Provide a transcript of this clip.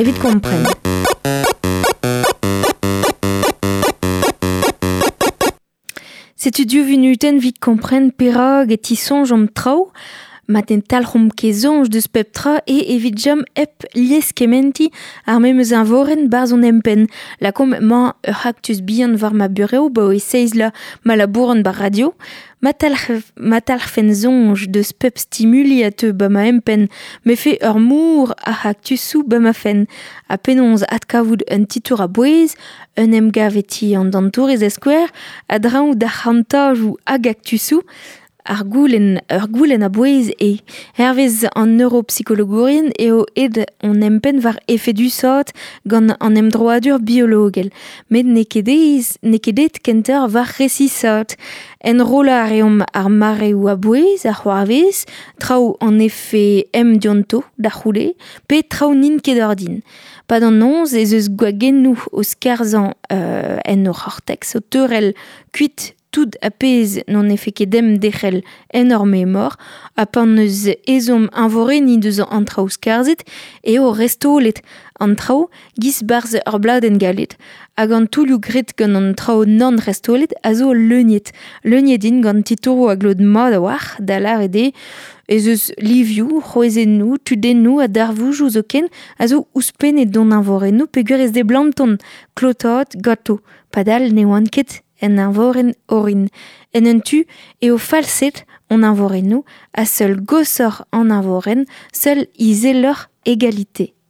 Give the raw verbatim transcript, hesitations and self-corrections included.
evit kompren. Setu div vunutenn evit kompren perak e tisoñj an traoù, ma ten talc'homp ket soñj deus pep tra e evit chom hep lieskementiñ ar memes eñvorenn 'barzh hon empenn. Lakaomp emañ ur c'haktus bihan war ma burev 'baoe seizh vloaz ma labouran 'bar radio. Ma talc'h, ma talc'hfen soñj deus pep stimuli a teu 'ba ma empenn 'mefe ur mor a c'haktusoù 'ba ma fenn. Ha penaos adkavout un titour a-bouez, un emgav e ti an dantourez da skouer, a-dreñv d'ar c'hantajoù hag aktusoù, ar goulenn, ur goulenn a-bouez eo. Hervez an neuropsikologourien eo aet hon empenn war efedusaat gant an emdroadur biologel. Met n'eo ket aes, n'eo ket aet kentoc'h war resisaat. Enrollañ a reomp ar mareoù a-bouez, ar c'hoarvez, traoù an efe em dionto da c'houde, pe traoù n'int ket ordin. Pad an noz ez eus gwagennoù o skarzhañ euh, en hor c'hortex, o teurel kuit tout a pezh n'on efe ket dem derc'hel en hor memor, ha pan eus ezhomm eñvorenniñ deus an traoù skarzhet eo restolet an traoù giz 'barzh ur bladenn galet. Hag an toulloù graet gant an traoù nann restolet a zo leuniet. Leuniet int gant titouroù a glot mat a-walc'h, da lâret eo ez eus livioù, c'hwezennoù, tudennoù ha darvoudoù zoken a zo ouzhpennet d'hon eñvorennoù peogwir ez deblantont klotaat ganto. Padal ne oant ket en eñvorenn orin. En un tu eo falset hon eñvorennoù ha seul goshoc'h an eñvorenn, seul izeloc'h e galite.